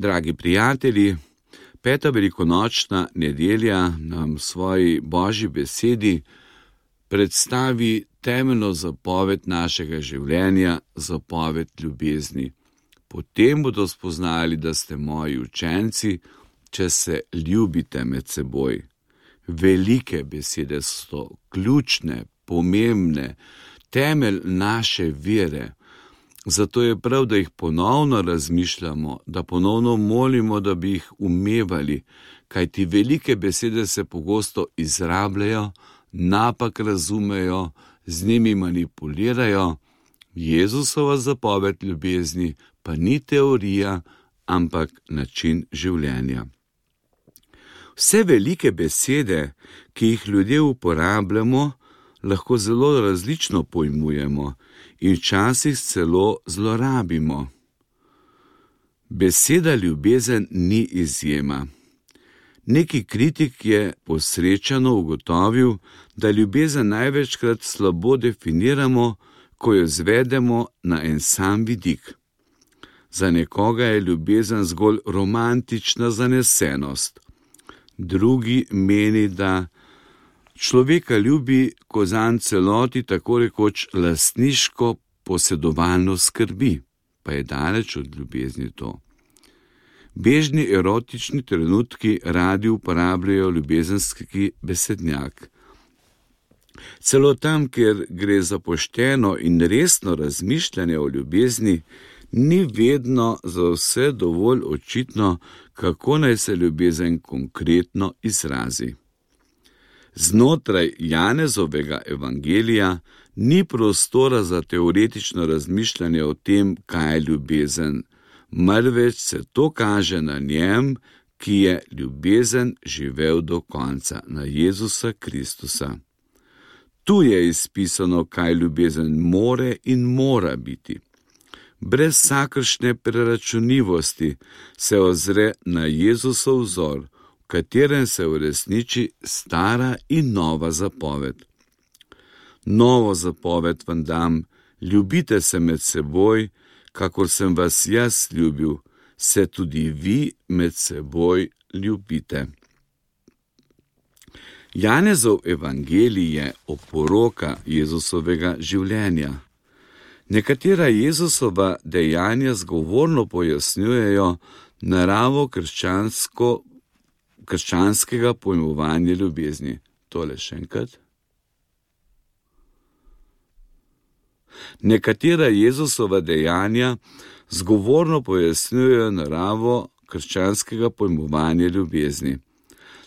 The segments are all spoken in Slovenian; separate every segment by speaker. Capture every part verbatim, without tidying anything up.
Speaker 1: Dragi prijatelji, peta velikonočna nedelja nam v svoji Božji besedi predstavi temeljno zapoved našega življenja, zapoved ljubezni. Potem bodo spoznali, da ste moji učenci, če se ljubite med seboj. Velike besede so ključne, pomembne, temelj naše vere. Zato je prav, da jih ponovno razmišljamo, da ponovno molimo, da bi jih umevali, kajti velike besede se pogosto izrabljajo, napak razumejo, z njimi manipulirajo. Jezusova zapoved ljubezni pa ni teorija, ampak način življenja. Vse velike besede, ki jih ljudje uporabljamo, lahko zelo različno pojmujemo in včasih celo zlorabimo. Beseda ljubezen ni izjema. Neki kritik je posrečeno ugotovil, da ljubezen največkrat slabo definiramo, ko jo zvedemo na en sam vidik. Za nekoga je ljubezen zgolj romantična zanesenost. Drugi meni, da človeka ljubi, ko zanj celoti tako rekoč lastniško posedovalno skrbi, pa je daleč od ljubezni to. Bežni erotični trenutki radi uporabljajo ljubezenski besednjak. Celo tam, kjer gre za pošteno in resno razmišljanje o ljubezni, ni vedno za vse dovolj očitno, kako naj se ljubezen konkretno izrazi. Znotraj Janezovega evangelija ni prostora za teoretično razmišljanje o tem, kaj je ljubezen, marveč se to kaže na njem, ki je ljubezen živel do konca, na Jezusa Kristusa. Tu je izpisano, kaj ljubezen more in mora biti. Brez vsakršne preračunljivosti se ozre na Jezusov vzor, v katerem se uresniči stara in nova zapoved. Novo zapoved vam dam, ljubite se med seboj, kakor sem vas jaz ljubil, se tudi vi med seboj ljubite. Janezov evangelij je oporoka Jezusovega življenja. Nekatera Jezusova dejanja zgovorno pojasnjujejo naravo krščansko, krščanskega pojmovanja ljubezni. Tole še enkrat. Nekatera Jezusova dejanja zgovorno pojasnjujejo naravo krščanskega pojmovanja ljubezni.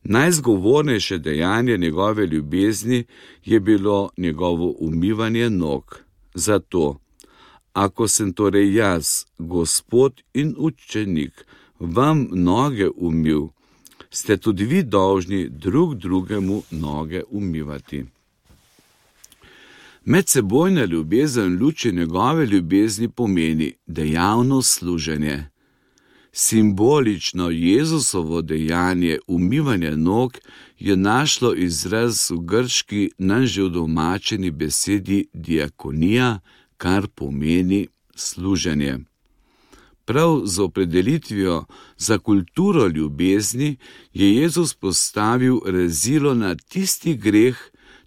Speaker 1: Najzgovornejše dejanje njegove ljubezni je bilo njegovo umivanje nog. Zato, ako sem torej jaz, Gospod in učenik, vam noge umil, ste tudi vi dolžni drug drugemu noge umivati. Medsebojna ljubezen v luči njegove ljubezni pomeni dejavno služenje. Simbolično Jezusovo dejanje umivanja nog je našlo izraz v grški nam že udomačeni besedi diakonija, kar pomeni služenje. Prav z opredelitvijo za kulturo ljubezni je Jezus postavil rezilo na tisti greh,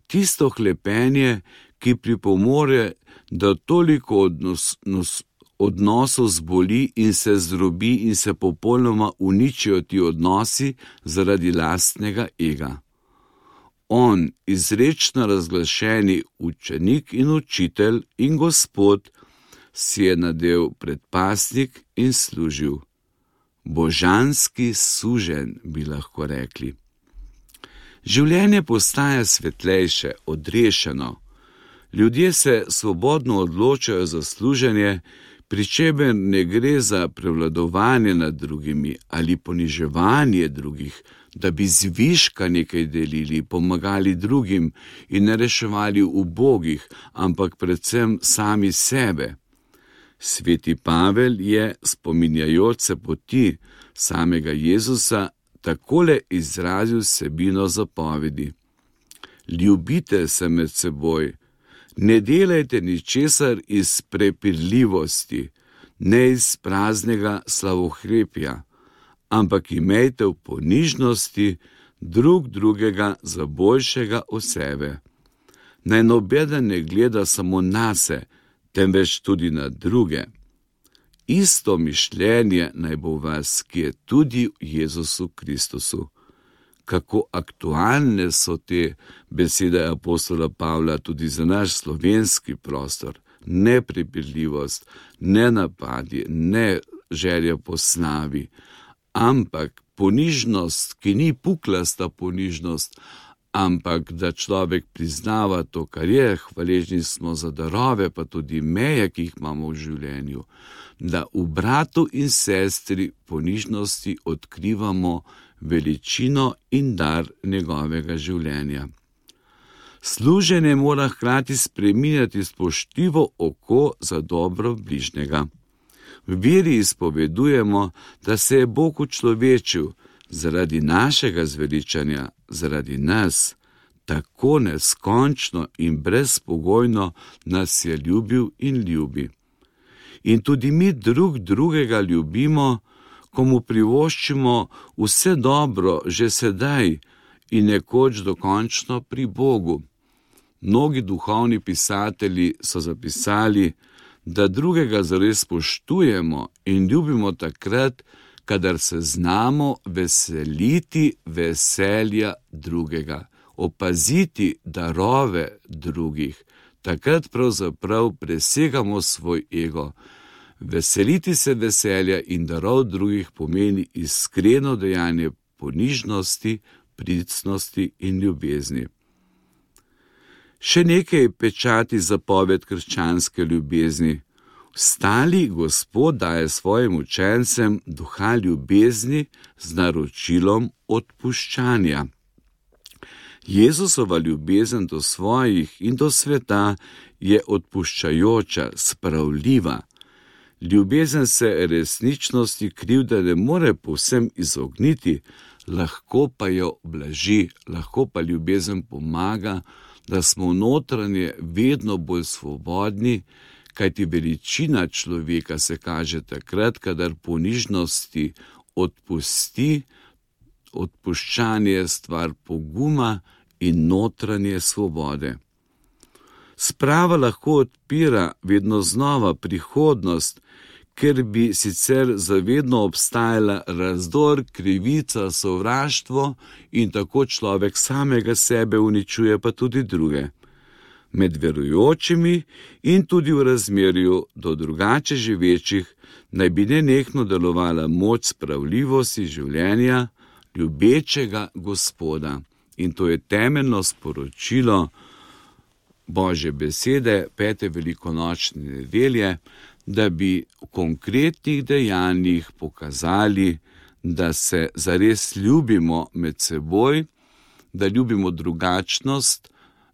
Speaker 1: tisto hlepenje, ki pripomore, da toliko odnos, nos, odnosov zboli in se zdrobi in se popolnoma uničijo ti odnosi zaradi lastnega ega. On, izrečno razglašeni učenik in učitelj in Gospod, si je nadel predpasnik in služil. Božanski suženj, bi lahko rekli. Življenje postaja svetlejše, odrešeno. Ljudje se svobodno odločajo za služenje, pri čemer ne gre za prevladovanje nad drugimi ali poniževanje drugih, da bi zviška nekaj delili, pomagali drugim in ne reševali ubogih, ampak predvsem sami sebe. Sveti Pavel je, spominjajoč se poti samega Jezusa, takole izrazil vsebino zapovedi. Ljubite se med seboj, ne delajte ničesar iz prepirljivosti, ne iz praznega slavohlepja, ampak imejte v ponižnosti drug drugega za boljšega od sebe. Naj nobeden ne gleda samo nase, temveč tudi na druge. Isto mišljenje naj bo v vas, ki je tudi v Jezusu Kristusu. Kako aktualne so te besede apostola Pavla tudi za naš slovenski prostor. Neprepirljivost, ne napadi, ne želja po slavi, ampak ponižnost, ki ni puklasta ponižnost, ampak da človek priznava to, kar je, hvaležni smo za darove, pa tudi meje, ki jih imamo v življenju, da v bratu in sestri ponižnosti odkrivamo veličino in dar njegovega življenja. Služenje mora hkrati spreminjati spoštljivo oko za dobro bližnjega. V veri izpovedujemo, da se je Bog učlovečil zaradi našega zveličanja, zaradi nas, tako neskončno in brezpogojno nas je ljubil in ljubi. In tudi mi drug drugega ljubimo, ko mu privoščimo vse dobro že sedaj in nekoč dokončno pri Bogu. Mnogi duhovni pisatelji so zapisali, da drugega zares spoštujemo in ljubimo takrat, kadar se znamo veseliti veselja drugega, opaziti darove drugih. Takrat pravzaprav presegamo svoj ego. Veseliti se veselja in darov drugih pomeni iskreno dejanje ponižnosti, pricnosti in ljubezni. Še nekaj pečati zapoved krščanske ljubezni. Vstali Gospod daje svojim učencem duha ljubezni z naročilom odpuščanja. Jezusova ljubezen do svojih in do sveta je odpuščajoča, spravljiva. Ljubezen se resničnosti krivde ne more povsem izogniti, lahko pa jo blaži, lahko pa ljubezen pomaga, da smo notranje vedno bolj svobodni, kajti veličina človeka se kaže takrat, kadar ponižnosti odpusti, odpuščanje je stvar poguma in notranje svobode. Sprava lahko odpira vedno znova prihodnost, ker bi sicer zavedno obstajala razdor, krivica, sovraštvo in tako človek samega sebe uničuje, pa tudi druge. Med verujočimi in tudi v razmerju do drugače živečih naj bi nenehno delovala moč spravljivosti življenja ljubečega Gospoda. In to je temeljno sporočilo Božje besede pete velikonočne nedelje, da bi v konkretnih dejanjih pokazali, da se zares ljubimo med seboj, da ljubimo drugačnost,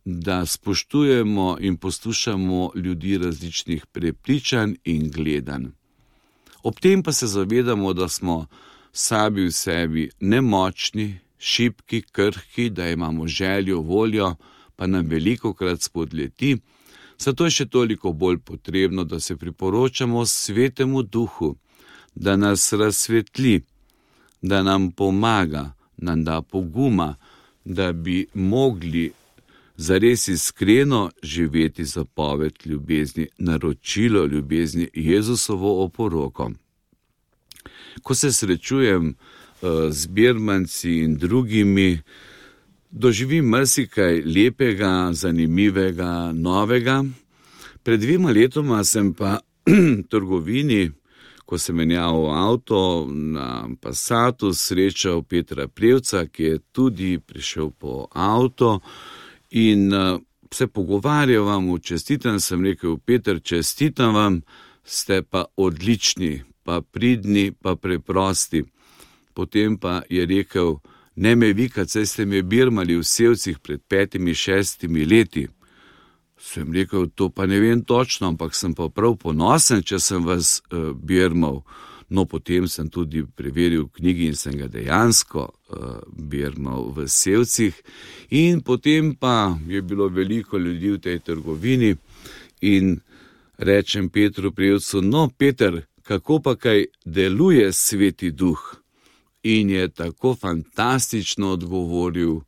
Speaker 1: da spoštujemo in poslušamo ljudi različnih prepričanj in gledanj. Ob tem pa se zavedamo, da smo sami v sebi nemočni, šibki, krhki, da imamo željo, voljo, pa nam velikokrat spodleti. Zato je še toliko bolj potrebno, da se priporočamo Svetemu Duhu, da nas razsvetli, da nam pomaga, nam da poguma, da bi mogli zares iskreno živeti zapoved ljubezni, naročilo ljubezni, Jezusovo oporoko. Ko se srečujem uh, z birmanci in drugimi, doživim marsikaj lepega, zanimivega, novega. Pred dvema letoma sem pa v trgovini, ko sem menjal avto na Passatu, srečal Petra Prevca, ki je tudi prišel po avto in uh, se pogovarjal vam, čestitam, sem rekel, Peter, čestitam vam, ste pa odlični, pa pridni, pa preprosti. Potem pa je rekel, ne me vikat, saj ste me birmali v Sevcih pred petimi, šestimi leti. Sem rekel, to pa ne vem točno, ampak sem pa prav ponosen, če sem vas uh, birmal. No, potem sem tudi preveril v knjigi in sem ga dejansko uh, birmal v Sevcih. In potem pa je bilo veliko ljudi v tej trgovini in rečem Petru Prevcu, no, Peter, kako pa kaj deluje Sveti Duh? in je tako fantastično odgovoril,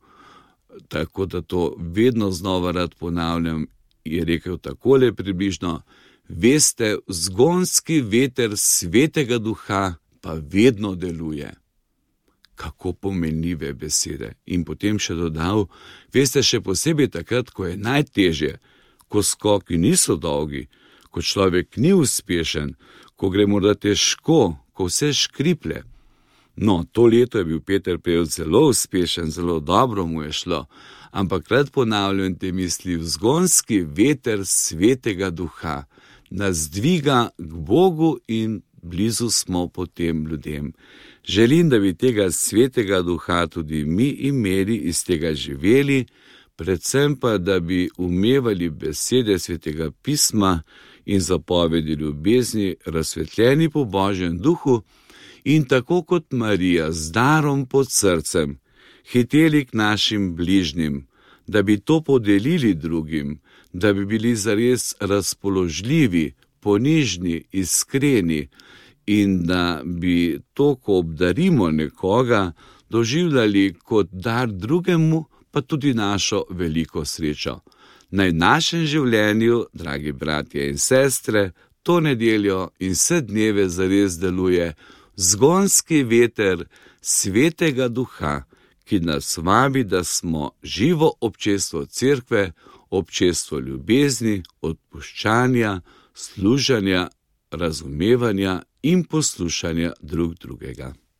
Speaker 1: tako da to vedno znova rad ponavljam, je rekel takole približno: veste, vzgonski veter Svetega Duha pa vedno deluje. Kako pomenljive besede. In potem še dodal: veste, še posebej takrat, ko je najtežje, ko skoki niso dolgi, ko človek ni uspešen, ko gre morda težko, ko vse škriplje. No, to leto je bil Peter Prevc zelo uspešen, zelo dobro mu je šlo, ampak rad ponavljam te misli: vzgonski veter Svetega Duha nas dviga k Bogu in blizu smo potem ljudem. Želim, da bi tega Svetega Duha tudi mi imeli, iz tega živeli, predvsem pa, da bi umevali besede Svetega pisma in zapovedi ljubezni, razsvetljeni po Božjem duhu, in tako kot Marija z darom pod srcem hiteli k našim bližnjim, da bi to podelili drugim, da bi bili zares razpoložljivi, ponižni, iskreni in da bi to, ko obdarimo nekoga, doživljali kot dar drugemu, pa tudi našo veliko srečo. Naj v našem življenju, dragi bratje in sestre, to nedeljo in vse dneve zares deluje vzgonski veter Svetega Duha, ki nas vabi, da smo živo občestvo cerkve, občestvo ljubezni, odpuščanja, služenja, razumevanja in poslušanja drug drugega.